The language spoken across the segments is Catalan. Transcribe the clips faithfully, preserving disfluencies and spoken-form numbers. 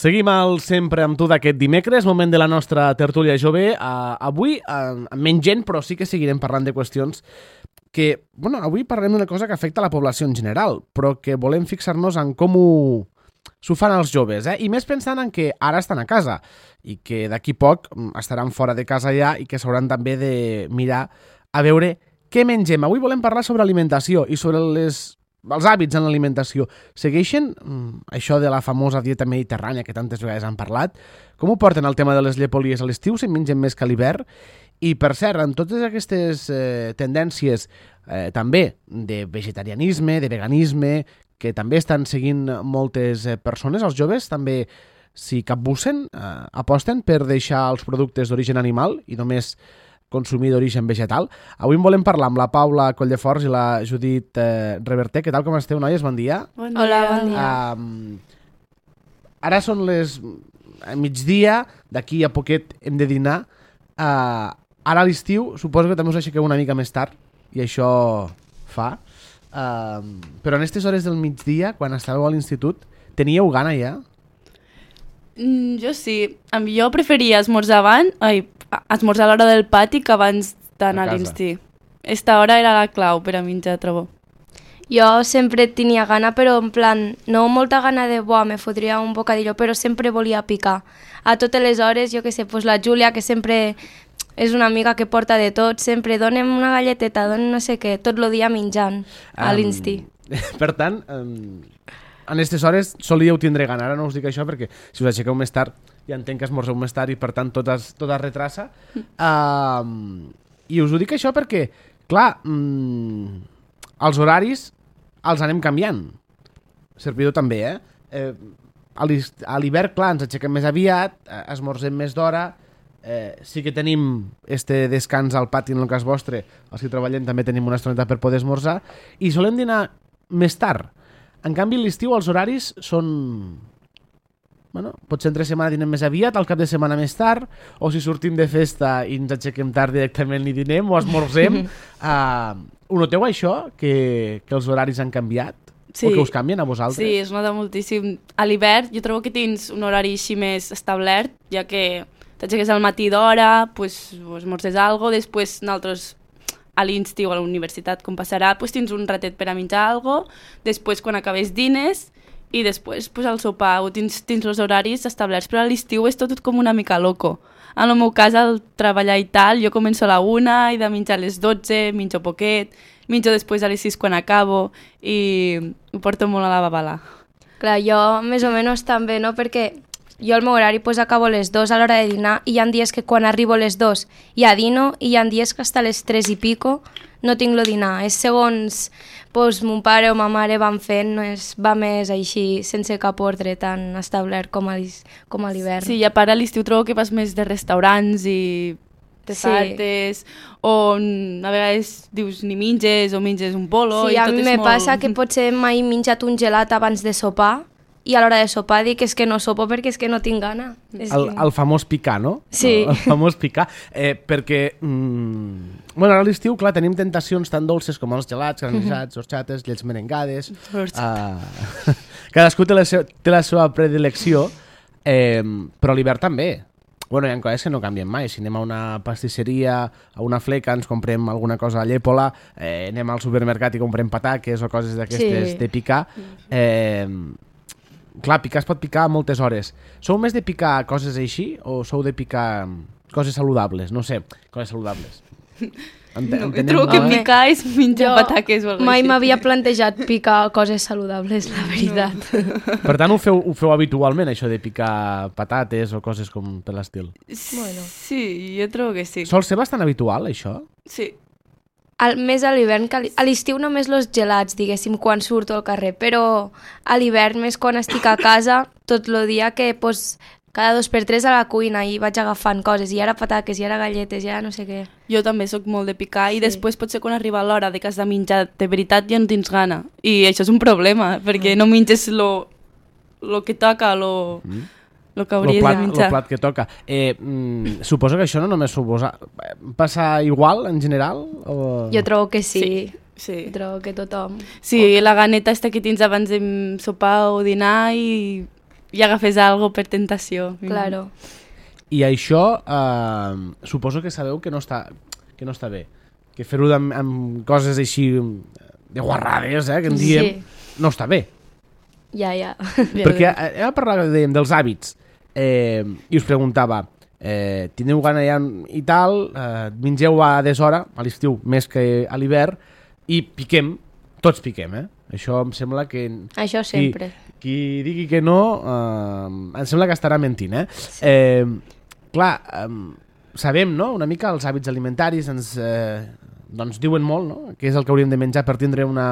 Seguim al Sempre amb tu d'aquest dimecres, moment de la nostra tertúlia jove. Uh, avui, uh, amb menys gent, però sí que seguirem parlant de qüestions que, bueno, avui parlem d'una cosa que afecta a la població en general, però que volem fixar-nos en com ho s'ho fan els joves, eh? I més pensant en que ara estan a casa i que d'aquí poc estaran fora de casa ja i que s'hauran també de mirar a veure què mengem. Avui volem parlar sobre alimentació i sobre les... els hàbits en l'alimentació. Segueixen mm, això de la famosa dieta mediterrània que tantes vegades han parlat? Com ho porten el tema de les llepolies a l'estiu? Se'n mengen més que a l'hivern? I, per cert, en totes aquestes eh, tendències eh, també de vegetarianisme, de veganisme, que també estan seguint moltes eh, persones, els joves també s'hi capbussen, eh, aposten per deixar els productes d'origen animal i només consumir d'origen vegetal. Avui en volem parlar amb la Paula Colldefors i la Judit eh, Reverter. Què tal, com esteu, noies? Bon dia. Bon dia. Hola, bon dia. Uh, ara són les a migdia, d'aquí a poquet hem de dinar. Uh, ara a l'estiu suposo que també us aixequeu una mica més tard i això fa. Uh, però en aquestes hores del migdia, quan estàveu a l'institut, teníeu gana ja? Mm, jo sí. Jo preferia esmorzar abans... Ai, esmorzar a l'hora del pati que abans d'anar a l'instint. Esta hora era la clau per a menjar, trobo. Jo sempre tenia gana, però en plan, no molta gana de, buah, me fotria un bocadillo, però sempre volia picar. A totes les hores, jo que sé, pues la Júlia, que sempre és una amiga que porta de tot, sempre donem una galleteta, donem no sé què, tot el dia menjant a um, l'instint. Per tant, um, en aquestes hores solíeu tindre gana. Ara no us dic això perquè si us aixequeu més tard ja entenc que esmorzeu més tard i per tant tot es, tot es retrassa. Uh, I us ho dic això perquè, clar, mm, els horaris els anem canviant. Servidor també, eh? eh a l'hivern, clar, ens aixequem més aviat, esmorzem més d'hora, eh, sí que tenim este descans al pati en el cas vostre, els que treballem també tenim una estoneta per poder esmorzar, i solem dinar més tard. En canvi, a l'estiu els horaris són... Bueno, potser entre setmana dinem més aviat, al cap de setmana més tard, o si sortim de festa i ens aixequem tard directament ni dinem o esmorzem. uh, ho noteu això, que, que els horaris han canviat? Sí. O que us canvien a vosaltres? Sí, es nota moltíssim. A l'hivern jo trobo que tens un horari així més establert, ja que t'aixeques al matí d'hora, pues, esmorzes alguna cosa, després nosaltres a l'insti o a la universitat, com passarà, pues, tens un ratet per a menjar alguna cosa, després quan acabes dines, i després pues, al sopar o tens, tens els horaris establerts, però a l'estiu és tot, tot com una mica loco. En el meu cas, al treballar i tal, jo començo a la una, i de menjar a les dotze, menjo poquet, menjo després a les sis quan acabo, i ho porto molt a la babala. Clar, jo més o menys també, no? Perquè jo el meu horari pues, acabo a les dos a l'hora de dinar i hi ha dies que quan arribo a les dos ja dino i hi ha dies que hasta les tres i pico no tinc el dinar. És segons pues, mon pare o ma mare van fent, no és, va més així, sense cap ordre tan establert com a, com a l'hivern. Sí, i a part a l'estiu trobo que vas més de restaurants i te saltes, sí. O a vegades dius ni menges o menges un bolo. Sí, i a tot mi és me molt... passa que potser mai he menjat un gelat abans de sopar i a l'hora de sopar dic que és que no sopo perquè és que no tinc gana. El, que... el famós picar, no? Sí. El famós picar. Eh, perquè, mm, bueno, ara a l'estiu, clar, tenim tentacions tan dolces com els gelats, granissats, horxates, llets merengades. Uh, cadascú té la, seu, té la seva predilecció, eh, però a l'hivern també. Bueno, hi ha coses que no canvien mai. Si anem a una pastisseria, a una fleca, ens comprem alguna cosa a Llépola, eh, anem al supermercat i comprem pataques o coses d'aquestes sí. de picar. Eh, clar, picar es pot picar a moltes hores. Sou més de picar coses així o sou de picar coses saludables? No sé, coses saludables. Ente no, trobo que picar és menjar jo pataques o alguna mai m'havia plantejat picar coses saludables, la veritat. No. Per tant, ho feu, ho feu habitualment, això de picar patates o coses com per l'estil? Bueno. Sí, jo trobo que sí. Sol ser bastant habitual, això? Sí. Al, més a l'hivern, que a l'estiu només els gelats, diguéssim, quan surto al carrer, però a l'hivern més quan estic a casa, tot el dia que pues, cada dos per tres a la cuina i vaig agafant coses, i ara pataques, i ara galletes, i ara no sé què. Jo també sóc molt de picar i sí. Després potser quan arriba l'hora de que has de menjar de veritat ja no tens gana. I això és un problema, perquè no menges lo, lo que toca, lo... Mm. El que hauries plat, de menjar. El plat que toca. Eh, mm, suposo que això no només suposa... Passa igual, en general? O... Jo trobo que sí. Sí. Sí. Trobo que tothom... Sí, o... la ganeta aquesta que tens abans de sopar o dinar i i agafes algo per tentació. Claro. I això eh, suposo que sabeu que no està, que no està bé. Que fer-ho amb, amb coses així de guarrades, eh, que en diem, Sí. no està bé. Ja, ja. Perquè eh, hem parlat de, dels hàbits eh, i us preguntava eh, teniu gana ja i tal, eh, mengeu a deshora, a l'estiu més que a l'hivern, i piquem, tots piquem, eh? Això em sembla que... Això sempre. Qui, qui digui que no, eh, em sembla que estarà mentint, eh? Sí. eh clar, eh, sabem, no?, una mica els hàbits alimentaris ens eh, doncs diuen molt, no?, què és el que hauríem de menjar per tindre una,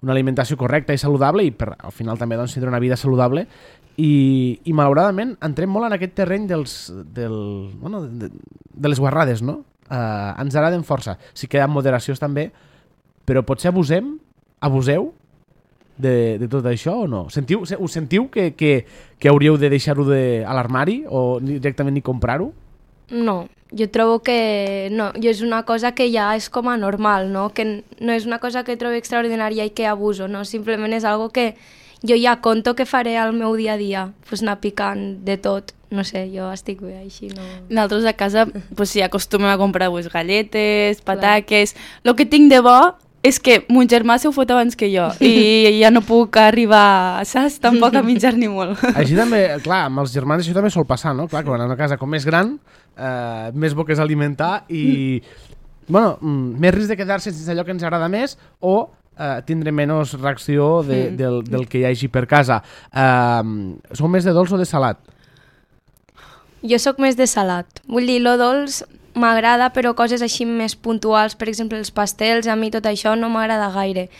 una alimentació correcta i saludable i per, al final també doncs, tindre una vida saludable i, i malauradament entrem molt en aquest terreny dels, del, bueno, de, de les guarrades, no? Eh, ens agraden força, sí que hi ha moderacions també, però potser abusem, abuseu de, de tot això o no? Sentiu, us sentiu que, que, que hauríeu de deixar-ho de, a l'armari o directament ni comprar-ho? No, jo trobo que no, jo és una cosa que ja és com a normal, no? Que no és una cosa que trobo extraordinària i que abuso, no? Simplement és algo que jo ja conto que faré al meu dia a dia, pues anar picant de tot, no sé, jo estic bé així, no... Nosaltres a casa pues, sí, acostumem a comprar pues, galletes, pataques... El que tinc de bo és que mon germà se ho fot abans que jo i ja no puc arribar, saps? Tampoc a menjar-ni molt. Així també, clar, amb els germans això també sol passar, no? Clar, que van a una casa com més gran, eh, més bo que és alimentar i, bueno, més risc de quedar-se sense allò que ens agrada més o eh, tindre menys reacció de, mm. del, del que hi hagi per casa. Eh, sou més de dolç o de salat? Jo sóc més de salat. Vull dir, lo dolç m'agrada, però coses així més puntuals, per exemple, els pastels, a mi tot això no m'agrada gaire,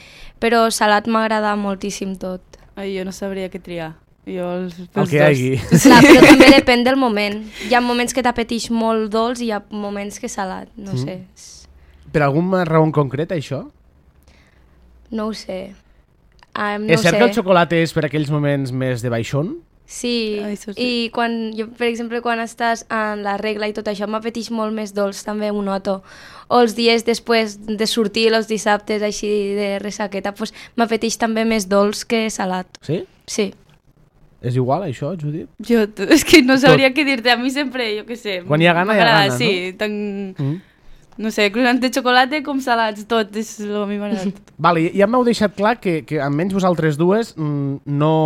però salat m'agrada moltíssim tot. Ai, jo no sabria què triar. Jo els, el que hi hagi. Clar, però també depèn del moment. Hi ha moments que t'apeteix molt dolç i hi ha moments que salat, no mm. sé. Per alguna raó en concret, això? No ho sé. Um, no és cert sé. que el xocolata és per aquells moments més de baixón? Sí, ah, sí, i quan jo, per exemple, quan estàs en la regla i tot això, m'apeteix molt més dolç, també ho noto. O els dies després de sortir, els dissabtes així de ressaqueta, pues, m'apeteix també més dolç que salat. Sí? Sí. És igual, això, Judit? Jo, és que no sabria què dir-te. A mi sempre, jo què sé... Quan hi ha gana, hi ha gana, sí, no? Tan... Mm. No sé, croissants de xocolata com salats, tot, és el que a mi m'agrada. Vale, ja m'heu deixat clar que, que almenys vosaltres dues mm, no...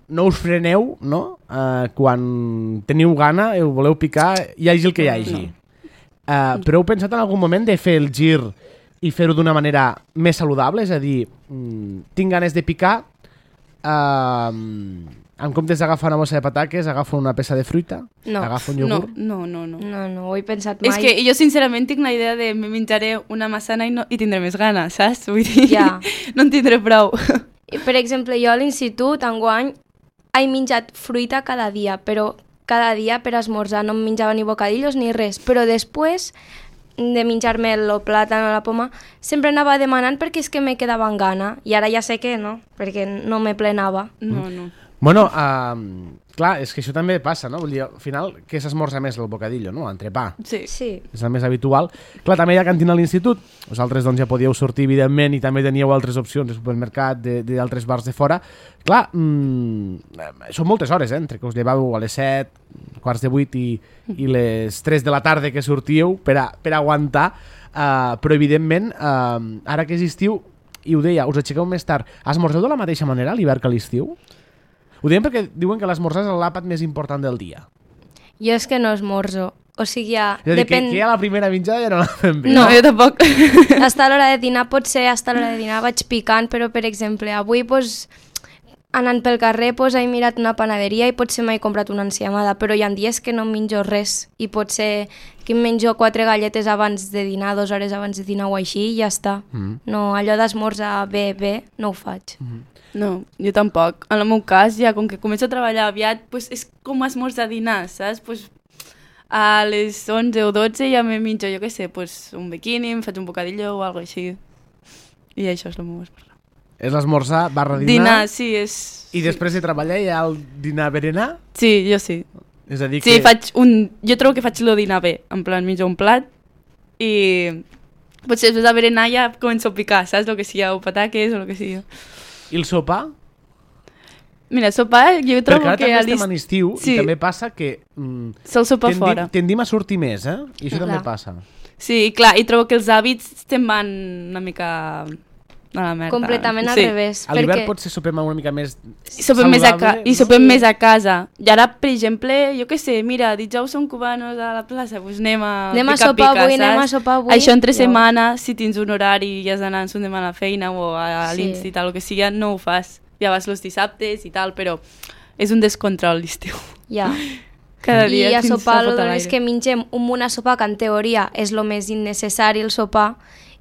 no us freneu, no? Uh, quan teniu gana i ho voleu picar, hi hagi el que hi hagi. No. Uh, però heu pensat en algun moment de fer el gir i fer-ho d'una manera més saludable? És a dir, mm, tinc ganes de picar, uh, en comptes d'agafar una bossa de pataques, agafo una peça de fruita, no. agafo un iogurt... No, no, no, no. No, no ho he pensat mai. És que jo sincerament tinc la idea de me menjaré una massana i, no, i tindré més gana, saps? Vull dir, ja. no en tindré prou. Per exemple, jo a l'institut, enguany, he menjat fruita cada dia, però cada dia per esmorzar no em menjava ni bocadillos ni res, però després de menjar-me el plàtan o la poma sempre anava demanant perquè és que me quedava en gana i ara ja sé que no, perquè no me plenava. No, no. Bueno, uh, clar, és que això també passa, no? Vull dir, al final, què s'esmorza més el bocadillo, no? Entrepà. Sí. Sí. És el més habitual. Clar, també hi ha cantina a l'institut. Vosaltres doncs, ja podíeu sortir, evidentment, i també teníeu altres opcions de supermercat, d'altres bars de fora. Clar, mmm, són moltes hores, eh? Entre que us llevàveu a les set, quarts de vuit i, i les tres de la tarda que sortíeu per, a, per aguantar. Uh, però, evidentment, uh, ara que és estiu, i ho deia, us aixequeu més tard. Esmorzeu de la mateixa manera a l'hivern que a l'estiu? Ho diem perquè diuen que l'esmorzar és l'àpat més important del dia. Jo és que no esmorzo. O sigui, ja... És a dir, depèn... que, que ja la primera menjada ja no la fem bé. No, jo tampoc. Hasta l'hora de dinar, potser hasta l'hora de dinar vaig picant, però, per exemple, avui, pues, anant pel carrer, pues, he mirat una panaderia i potser m'he comprat una enciamada, però hi ha dies que no menjo res i potser que em menjo quatre galletes abans de dinar, dues hores abans de dinar o així, i ja està. Mm. No, allò d'esmorzar bé, bé, no ho faig. Mm. No, jo tampoc. En el meu cas, ja com que començo a treballar aviat, pues, és com esmorzar dinar, saps? Pues, a les onze o dotze ja me menjo, jo què sé, pues, un bikini, em faig un bocadillo o alguna així. I això és el meu esmorzar. És l'esmorzar barra dinar? Dinar, sí, és... I sí. Després de treballar hi ha el dinar-berenar? Sí, jo sí. És a dir sí, que... faig un... Jo trobo que faig el dinar bé, en plan, menjo un plat i... Potser després de berenar ja començo a picar, saps? El que sigui, o pataques o el que sigui. I el sopar? Mira, sopar, jo trobo Perquè ara que... també a estem l'est- en estiu Sí. i també passa que mm, Sol sopar tendim, fora. tendim a sortir més, eh? I això Clar. també passa. Sí, clar, i trobo que els hàbits te'n van una mica a la merda. Completament al sí. revés. A l'hivern perquè... potser sopem una mica més I sopem, més a, ca saludable, i no? sopem Sí. més a casa. I ara, per exemple, jo què sé, mira, dijous som cubanos a la plaça, doncs anem a Anem a pica, sopar pica, avui, saps? anem a sopar avui. Això entre Ja. setmana, si tens un horari i has d'anar en son demà a la feina o a Sí. l'instit, el que sigui, no ho fas. Ja vas els dissabtes i tal, però és un descontrol l'estiu. Ja. Cada I dia a tens sopar, la lo fota a és l'aire. que mengem un munt a sopar, que en teoria és el més innecessari el sopar,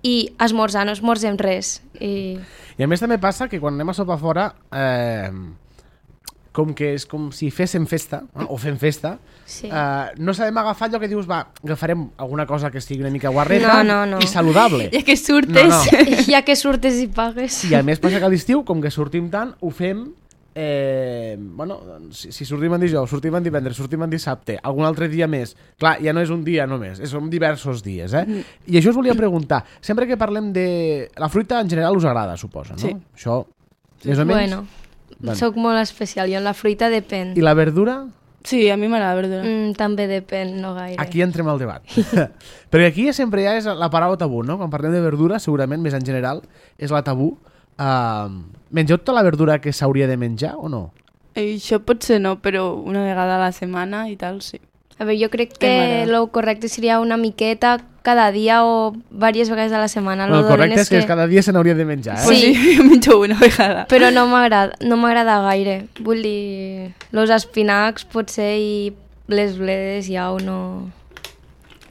i esmorzar no esmorzem res. I... I a més també passa que quan anem a sopar fora, eh, com que és com si féssim festa, eh, o fem festa, Sí. eh, no sabem agafar allò que dius, va, agafarem alguna cosa que estigui una mica guarreta No, no, no. i saludable. Ja que surtes... No, no. ja que surtes i pagues. I a més passa que a l'estiu, com que sortim tant, ho fem... Eh, bueno, si, si sortim en dijous, sortim en divendres, sortim en dissabte, algun altre dia més. Clar, ja no és un dia només, són diversos dies, eh? Mm. I això us volia preguntar. Sempre que parlem de... La fruita en general us agrada, suposa, no? Sí. Això, més o menys? Bueno, Bueno. soc molt especial. Jo en la fruita depèn. I la verdura? Sí, a mi m'agrada la verdura. Mm, també depèn, no gaire. Aquí entrem al debat. Perquè aquí sempre ja és la paraula tabú, no? Quan parlem de verdura, segurament, més en general, és la tabú. Uh, mengeu tota la verdura que s'hauria de menjar o no? I això potser no, però una vegada a la setmana i tal, sí. A veure, jo crec Em que m'agrada. el correcte seria una miqueta cada dia o diverses vegades a la setmana. Bueno, Lo el correcte dolent és que cada dia se n'hauria de menjar, eh? Pues Sí. sí, jo menjo una vegada. Però no m'agrada no m'agrada gaire. Vull dir, los espinacs potser i les bledes ja o no...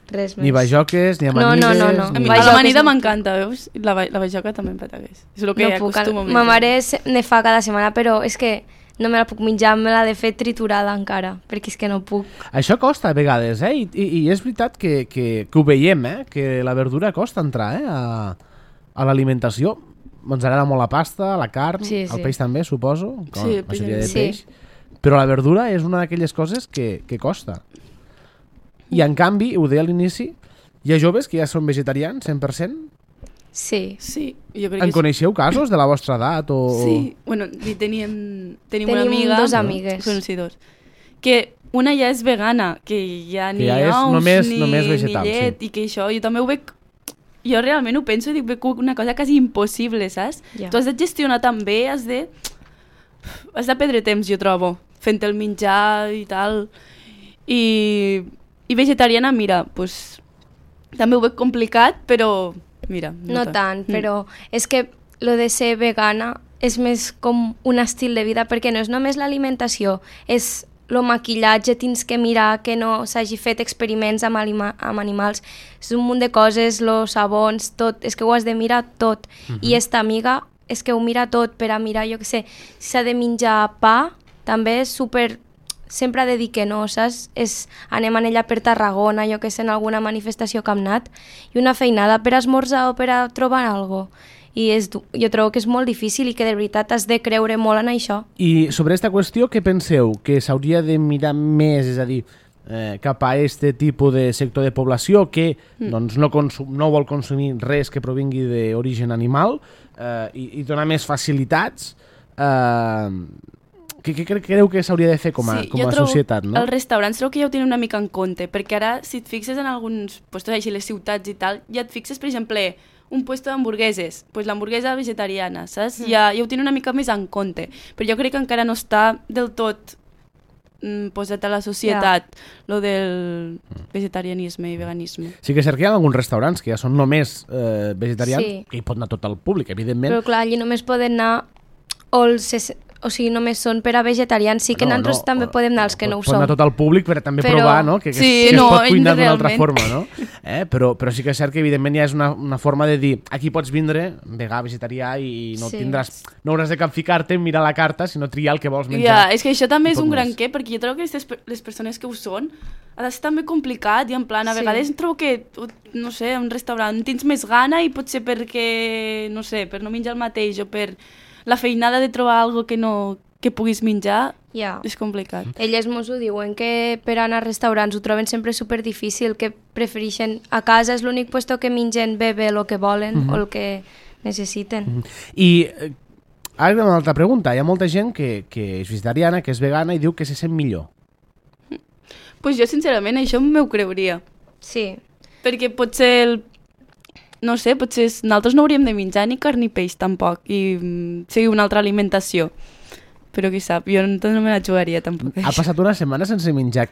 Res més. Ni bajoques, ni No, amanides... no, no, no. A mi Ni... a Bajoques l'amanida no. m'encanta, veus? La, ba- la bajoca també em patagués. És el que no puc, acostumo a ma menjar. mare se- ne fa cada setmana, però és que no me la puc menjar, me l'ha de fer triturada encara, perquè és que no puc. Això costa a vegades, eh? I, i, i és veritat que, que, que ho veiem, eh? Que la verdura costa entrar, eh? A, a l'alimentació. Ens agrada molt la pasta, la carn, Sí, sí. el peix també, suposo. Com Sí, la el peix majoria de també. peix. Però la verdura és una d'aquelles coses que, que costa. I en canvi, ho deia a l'inici, hi ha joves que ja són vegetarians, cent per cent. Sí. Sí, jo crec En que coneixeu casos de la vostra edat? O... sí. Bueno, i teníem, tenim, una Tenim amiga... dos amigues. Bueno, sí, dos. Que una ja és vegana, que ja Que ni ja és ous, només- ni, només vegetal, ni llet, sí. i que això, jo també ho veig... Jo realment ho penso i dic, veig una cosa quasi impossible, saps? Ja. Tu has de gestionar també, has de... Has de perdre temps, jo trobo, fent el menjar i tal. I, i vegetariana, mira, pues, també ho veig complicat, però mira... No tant, Mm. però és que lo de ser vegana és més com un estil de vida, perquè no és només l'alimentació, és el maquillatge, tens que mirar que no s'hagi fet experiments amb, anima amb animals, és un munt de coses, los sabons, tot, és que ho has de mirar tot. Mhm. I esta amiga és que ho mira tot per a mirar, jo què sé, si s'ha de menjar pa, també és super... Sempre ha de dir que no, saps? És, anem en ella per Tarragona, jo que sé, en alguna manifestació que hem anat, i una feinada per esmorzar o per a trobar alguna cosa. I és, du- jo trobo que és molt difícil i que de veritat has de creure molt en això. I sobre aquesta qüestió, què penseu? Que s'hauria de mirar més, és a dir, eh, cap a este tipus de sector de població que mm. doncs, no, consum, no vol consumir res que provingui d'origen animal eh, i, i donar més facilitats? Eh, què, què cre- creu que s'hauria de fer com a, Sí, com jo a trobo societat? No? Els restaurants crec que ja ho tenen una mica en compte, perquè ara, si et fixes en alguns puestos així, les ciutats i tal, ja et fixes, per exemple, un puesto d'hamburgueses, pues l'hamburguesa vegetariana, saps? Mm. Ja, ja ho tenen una mica més en compte, però jo crec que encara no està del tot mm, posat a la societat, yeah. lo del vegetarianisme i veganisme. Sí que és cert que hi ha alguns restaurants que ja són només eh, vegetarians, Sí. que hi pot anar tot el públic, evidentment. Però clar, allí només poden anar o els... O sigui, només són per a vegetarians. Sí que No, nosaltres no, també podem anar els que pot, no ho pot som. anar tot el públic per a també Però- provar, no? Que, que, Sí, que no, es pot cuinar d'una altra realment. forma, no? Eh? Però, però sí que és cert que evidentment ja és una, una forma de dir aquí pots vindre, vegà, vegetarià i no Sí. tindràs, no hauràs de capficar-te, mirar la carta, sinó triar el que vols Ja, menjar. és que això també I és poc un gran més. què, perquè jo trobo que les, les persones que ho són ha de ser també complicat i en plan, a Sí. vegades trobo que, no sé, un restaurant tens més gana i potser perquè, no sé, per no menjar el mateix o per la feinada de trobar algo que no que puguis menjar, Ja. és complicat. Elles mos ho diuen, que per anar a restaurants ho troben sempre super difícil, que prefereixen a casa és l'únic puesto que mengen bé bé el que volen Mhm. o el que necessiten. I eh, Ara hi ha una altra pregunta. Hi ha molta gent que, que és vegetariana, que és vegana i diu que se sent millor. Pues jo, sincerament, això m'ho creuria. Sí. Perquè potser, el... no sé, potser nosaltres no hauríem de menjar ni carn ni peix tampoc, i mm, sigui una altra alimentació. Però qui sap, jo no, no me la jugaria tampoc. Ha passat una setmana sense menjar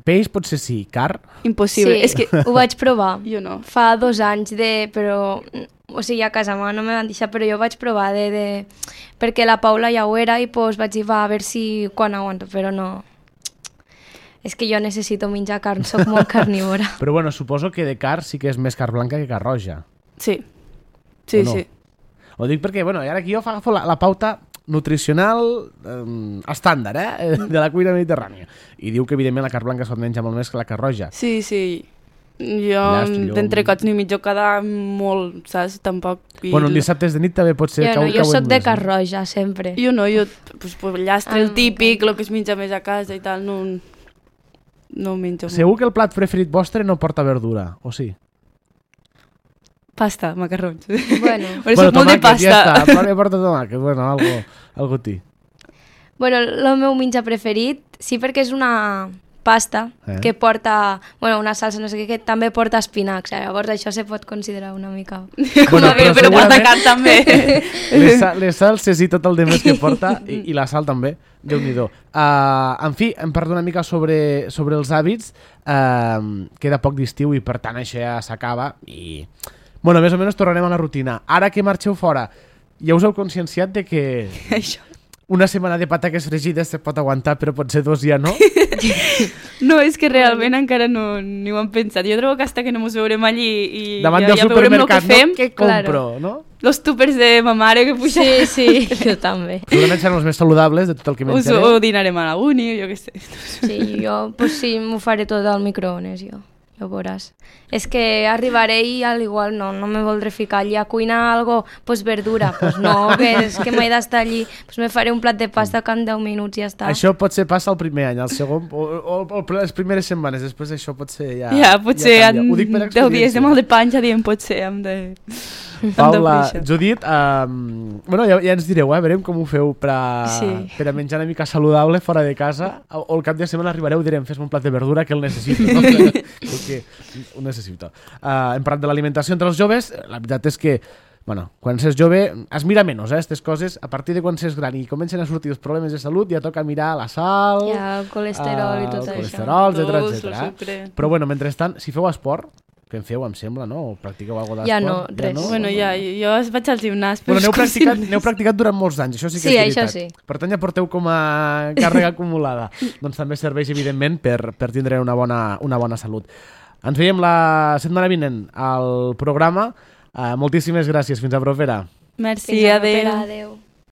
peix, potser sí, car? Impossible. Sí, És que ho vaig provar. jo no. Fa dos anys de... però... O sigui, a casa meva no me van deixar, però jo vaig provar de... de... perquè la Paula ja ho era i pues, vaig dir, va, a veure si quan aguanto, però no... És que jo necessito menjar carn, sóc molt carnívora. Però bueno, suposo que de car sí que és més car blanca que car roja. Sí. Sí, O no? sí. Ho dic perquè, bueno, ara aquí jo agafo la, la pauta nutricional eh, estàndard, eh, de la cuina mediterrània. I diu que, evidentment, la car blanca es pot menjar molt més que la car roja. Sí, sí. Jo Llast, llom. d'entrecots ni mitjo cada molt, saps? Tampoc... I Bueno, un dissabte de nit també pot ser... Jo no, que jo ho sóc de més, car roja, sempre. Jo no, jo pues, pues, llastre el Ah, típic, ok. el que es menja més a casa i tal, no, no ho menjo molt. Segur que el plat preferit vostre no porta verdura, o sí? Pasta, macarrons. Bueno, Però soc molt de tomàquet, pasta. ja està, però porta tomàquet, bueno, algo, algo tí. bueno, el meu menjar preferit, sí, perquè és una pasta Eh? que porta, bueno, una salsa, no sé què, que també porta espinacs. Llavors això se pot considerar una mica... Bueno, Com a bé, però porta segurament carn també. les, sa- les salses i tot el demés que porta, i, i la sal també, Déu-n'hi-do. Uh, en fi, hem parlat una mica sobre, sobre els hàbits, uh, queda poc d'estiu i per tant això ja s'acaba i... Bueno, més o menys tornarem a la rutina. Ara que marxeu fora, ja us heu conscienciat de que Això. una setmana de pataques fregides se pot aguantar, però potser dos ja no? No, és que realment encara no ni ho hem pensat. Jo trobo que hasta que no mos veurem allí i Davant ja, del ja veurem el que supermercat, fem, no? Què compro, no? los túpers de ma mare que puja, Sí, sí, jo també. Segurament seran els més saludables de tot el que us menjareu. ho dinarem a la uni, jo què sé. Sí, jo, pues sí, m'ho faré tot al microones, jo. Ja ho veuràs. És que arribaré i al igual no, no me voldré ficar allí a cuinar algo, pues verdura, pues no, que és que m'he d'estar allí, pues me faré un plat de pasta que en deu minuts ja està. Això potser passa el primer any, el segon, o, o, o les primeres setmanes, després això potser ja... Ja, potser ja canvia. en Ho dic per deu dies de experiència. mal de panxa diem potser hem de... Paula, hem de Judit, um, bueno, ja, ja ens direu, eh, veurem com ho feu per a, Sí. per a menjar una mica saludable fora de casa, o, o el cap de setmana arribareu i direm, fes-me un plat de verdura que el necessito, no? Perquè ho necessito. Uh, hem parlat de l'alimentació entre els joves, la veritat és que bueno, quan s'és jove es mira menys, eh, aquestes coses. A partir de quan s'és gran i comencen a sortir els problemes de salut ja toca mirar la sal, Ja, el colesterol i eh, tot el això. colesterol, etcètera, Dolç, el etcètera. sucre. Però bueno, mentrestant, si feu esport, que en feu, em sembla, no? O practiqueu alguna Ja d'esport? no, res. Bueno, ja, jo es vaig al gimnàs. però Bueno, n'heu és com si practicat, no n'heu practicat durant molts anys, això sí que Sí, és això veritat. sí. Per tant, ja porteu com a càrrega acumulada. Doncs també serveix, evidentment, per, per tindre una bona, una bona salut. Ens veiem la setmana vinent al programa. Uh, moltíssimes gràcies. Fins a propera. Merci, Fins a la adéu. propera, adéu.